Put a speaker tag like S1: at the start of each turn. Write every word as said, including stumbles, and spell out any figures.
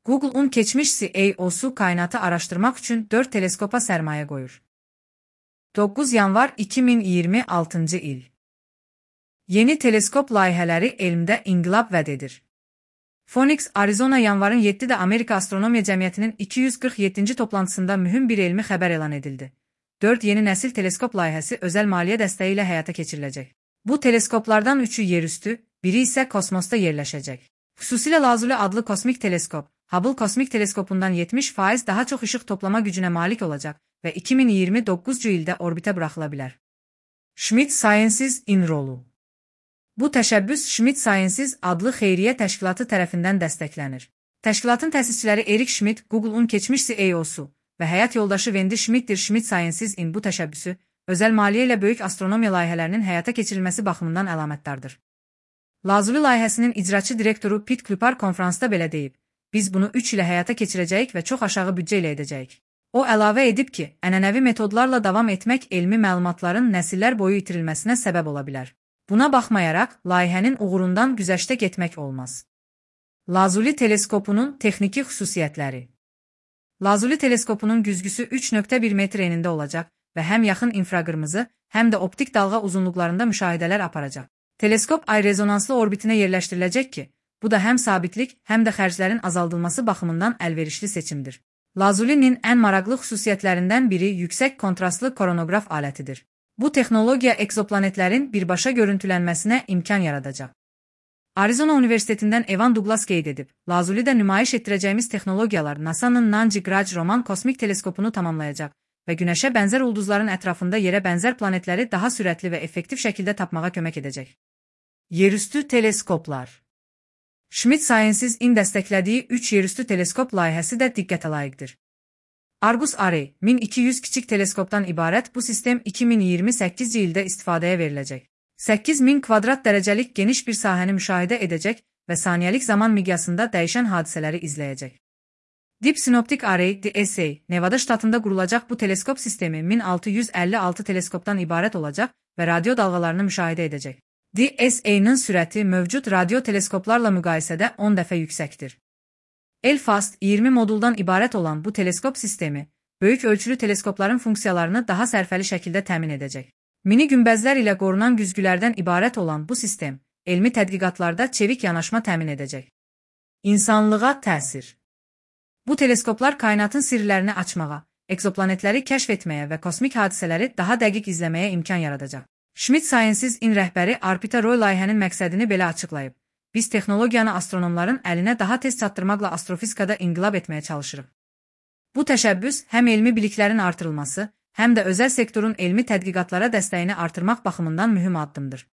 S1: Google'un keçmiş C E O'su kainatı araştırmak üçün dörd teleskopa sərmayə qoyur. doqquz yanvar iki min iyirmi altıncı il. Yeni teleskop layihələri elmdə inqilab vəd edir. Phoenix, Arizona yanvarın yeddidə Amerika Astronomiya Cəmiyyətinin iki yüz qırx yeddinci toplantısında mühüm bir elmi xəbər elan edildi. dörd yeni nəsil teleskop layihəsi özəl maliyyə dəstəyi ilə həyata keçiriləcək. Bu teleskoplardan üçü yerüstü, biri isə kosmosda yerləşəcək. Xüsusilə Lazuli adlı kosmik teleskop, Hubble kosmik teleskopundan yetmiş faiz daha çox işıq toplama gücünə malik olacaq və iki min iyirmi doqquzuncu ildə orbitə buraxıla bilər. Schmidt Sciences in rolu. Bu təşəbbüs Schmidt Sciences adlı xeyriyyə təşkilatı tərəfindən dəstəklənir. Təşkilatın təsisçiləri Eric Schmidt, Google'un keçmiş C E O'su və həyat yoldaşı Wendy Schmidtdir. Schmidt Sciences in bu təşəbbüsü, özəl maliyyə ilə böyük astronomiya layihələrinin həyata keçirilməsi baxımından əlamətdardır. Lazuli layihəsinin icraçı direktoru Pete Klupar konfransda belə deyib, biz bunu üç ilə həyata keçirəcəyik və çox aşağı büdcə ilə edəcəyik. O əlavə edib ki, ənənəvi metodlarla davam etmək elmi məlumatların nəsillər boyu itirilməsinə səbəb ola bilər. Buna baxmayaraq, layihənin uğurundan güzəştə getmək olmaz. Lazuli teleskopunun texniki xüsusiyyətləri. Lazuli teleskopunun güzgüsü üç nöqtə bir metr enində olacaq və həm yaxın infraqırmızı, həm də optik dalğa uzunluqlarında müşahidələr aparacaq. Teleskop ay rezonanslı orbitinə yerləşdiriləcək ki, bu da həm sabitlik, həm də xərclərin azaldılması baxımından əlverişli seçimdir. Lazulinin ən maraqlı xüsusiyyətlərindən biri yüksək kontrastlı koronoqraf alətidir. Bu texnologiya egzoplanetlərin birbaşa görüntülənməsinə imkan yaradacaq. Arizona Universitetindən Evan Douglas qeyd edib, Lazulidə nümayiş etdirəcəyimiz texnologiyalar NASA'nın Nancy Grudge Roman kosmik teleskopunu tamamlayacaq və Günəşə bənzər ulduzların ətrafında yerə bənzər planetləri daha sürətli və effektiv şəkildə tapmağa kömək edəcək. Yerüstü teleskoplar. Schmidt Sciences in dəstəklədiyi üç yerüstü teleskop layihəsi də diqqətə layiqdir. Argus Array, min iki yüz kiçik teleskopdan ibarət bu sistem iki min iyirmi səkkizinci ildə istifadəyə veriləcək. səkkiz min kvadrat dərəcəlik geniş bir sahəni müşahidə edəcək və saniyəlik zaman miqyasında dəyişən hadisələri izləyəcək. Deep Synoptic Array D S A, Nevada ştatında qurulacaq bu teleskop sistemi min altı yüz əlli altı teleskopdan ibarət olacaq və radio dalğalarını müşahidə edəcək. D S A-nın sürəti mövcud radio teleskoplarla müqayisədə on dəfə yüksəkdir. L-FAST iyirmi moduldan ibarət olan bu teleskop sistemi, böyük ölçülü teleskopların funksiyalarını daha sərfəli şəkildə təmin edəcək. Mini günbəzlər ilə qorunan güzgülərdən ibarət olan bu sistem, elmi tədqiqatlarda çevik yanaşma təmin edəcək. İnsanlığa təsir. Bu teleskoplar kainatın sirlərini açmağa, egzoplanetləri kəşf etməyə və kosmik hadisələri daha dəqiq izləməyə imkan yaradacaq. Schmidt Sciences in rəhbəri Arpita Roy layihənin məqsədini belə açıqlayıb. Biz texnologiyanı astronomların əlinə daha tez çatdırmaqla astrofizikada inqilab etməyə çalışırıq. Bu təşəbbüs həm elmi biliklərin artırılması, həm də özəl sektorun elmi tədqiqatlara dəstəyini artırmaq baxımından mühüm addımdır.